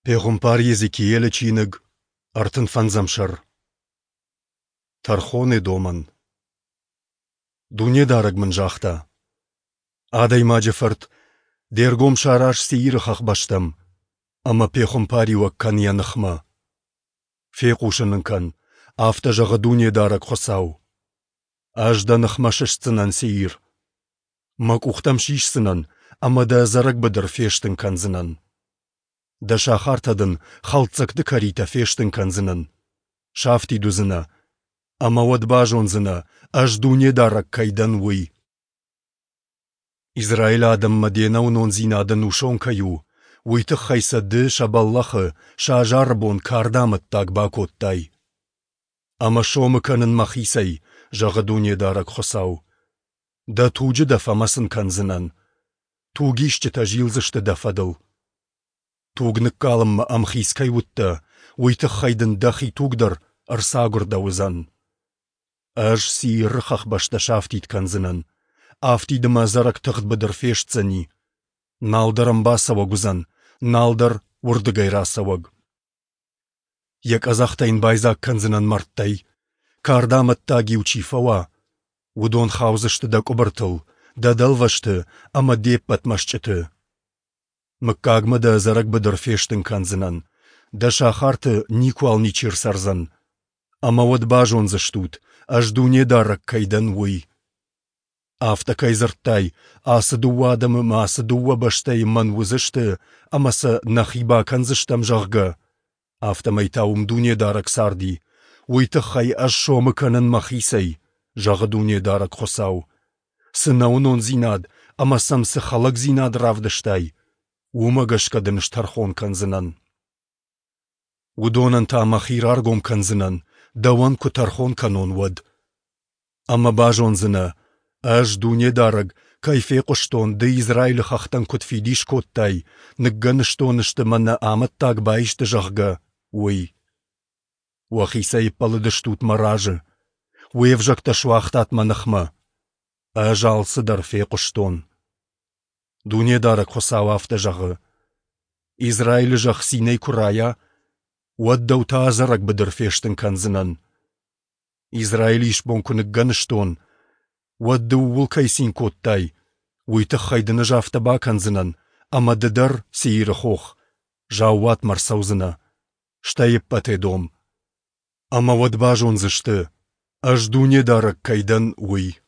Пехуымпар Йезекиелы чиныг, ӕртын фӕндзӕм сӕр. Тӕрхоны домӕн. Дунедарӕг мын загъта: Адӕймаджы фырт, де ргом сараз Сеиры хӕхбӕстӕм ӕмӕ пехуымпариуӕг кӕн йӕ ныхмӕ. Фехъусын ын кӕн, афтӕ зӕгъы Дунедарӕг Хуыцау: Ӕз дӕ ныхмӕ сыстдзынӕн, Сеир. Мӕ къух дӕм сисдзынӕн ӕмӕ дӕ ӕдзӕрӕг быдыр фестын кӕндзынӕн. Дӕ сахартӕ дын хӕлддзӕгты кӕритӕ фестын кӕндзынӕн. Сафтид уыдзынӕ, ӕмӕ уӕд базондзынӕ, Ӕз Дунедарӕг кӕй дӕн, уый. Израилы адӕммӕ де нӕуынондзинад ӕнусон кӕй у, уый тыххӕй сӕ ды сӕ бӕллӕхы, сӕ азары бон карды амӕттаг бакодтай. Ӕмӕ сомы кӕнын мӕхицӕй, зӕгъы Дунедарӕг Хуыцау. Дӕ туджы дӕ фӕмӕцын кӕндзынӕн. Тугисджытӕ зилдзысты дӕ фӕдыл. Туг ныккалынмӕ ӕмхиц кӕй уыдтӕ, уый тыххӕй дын дӕхи туг дӕр ӕрцагуырдӕуыдзӕн. Ӕз Сииры хӕхбӕстӕ сафтид кӕндзынӕн, афтид ӕмӕ ӕдзӕрӕг тыгъд быдыр фестдзӕни. Нал дӕр ӕм бацӕуӕг уыдзӕн, нал дӕр уырдыгӕй рацӕуӕг. Йӕ къӕдзӕхтӕ йын байдзаг кӕндзынӕн мӕрдтӕй, кардамӕттаг-иу чи фӕуа, уыдон хаудзысты дӕ къуыбыртыл, дӕ дӕлвӕзты ӕмӕ де ппӕт мӕсчъыты. Мыггагмӕ дӕ ӕдзӕрӕг быдыр фестын кӕндзынӕн, дӕ сахарты никуал ничи ӕрцӕрдзӕн. Ӕмӕ уӕд базондзыстут, Ӕз Дунедарӕг кӕй дӕн, уый. Афтӕ кӕй дзырдтай, ацы дыууӕ адӕмы мӕ ацы дыууӕ бӕстӕйы мӕн уыдзысты ӕмӕ сӕ нӕхи бакӕндзыстӕм, зӕгъгӕ, афтӕмӕй та уым Дунедарӕг царди, уый тыххӕй Ӕз сомы кӕнын Мӕхицӕй, зӕгъы Дунедарӕг Хуыцау. Цы нӕуынондзинад ӕмӕ сӕм цы хӕлӕгдзинад равдыстай, уымӕ гӕсгӕ дын стӕрхон кӕндзынӕн. Уыдонӕн та Мӕхи раргом кӕндзынӕн, дӕуӕн куы тӕрхон кӕнон, уӕд. Ӕмӕ базондзынӕ, Ӕз, Дунедарӕг, кӕй фехъуыстон, ды Израилы хӕхтӕн куыд фидис кодтай, ныггӕныстон сты мӕ нӕ амӕттаг баисты, зӕгъгӕ, уый. Уӕхицӕй ӕппӕлыдыстут мӕ разы, уе взӕгтӕ суагътат мӕ ныхмӕ. Ӕз алцыдӕр фехъуыстон. Дунедарӕг Хуыцау афтӕ зӕгъы: Израилы зӕхх цинӕй куы райа, уӕд дӕу та ӕдзӕрӕг быдыр фестын кӕндзынӕн. Израилы исбон куы ныггӕныстон, уӕд ды ууыл кӕй цин кодтай, уый тыххӕй дын ӕз афтӕ бакӕндзынӕн, ӕмӕ ды дӕр, Сеиры хох, заууатмӕ ӕрцӕудзынӕ, стӕй ӕппӕт Эдом. Ӕмӕ уӕд базондзысты, Ӕз Дунедарӕг кӕй дӕн, уый.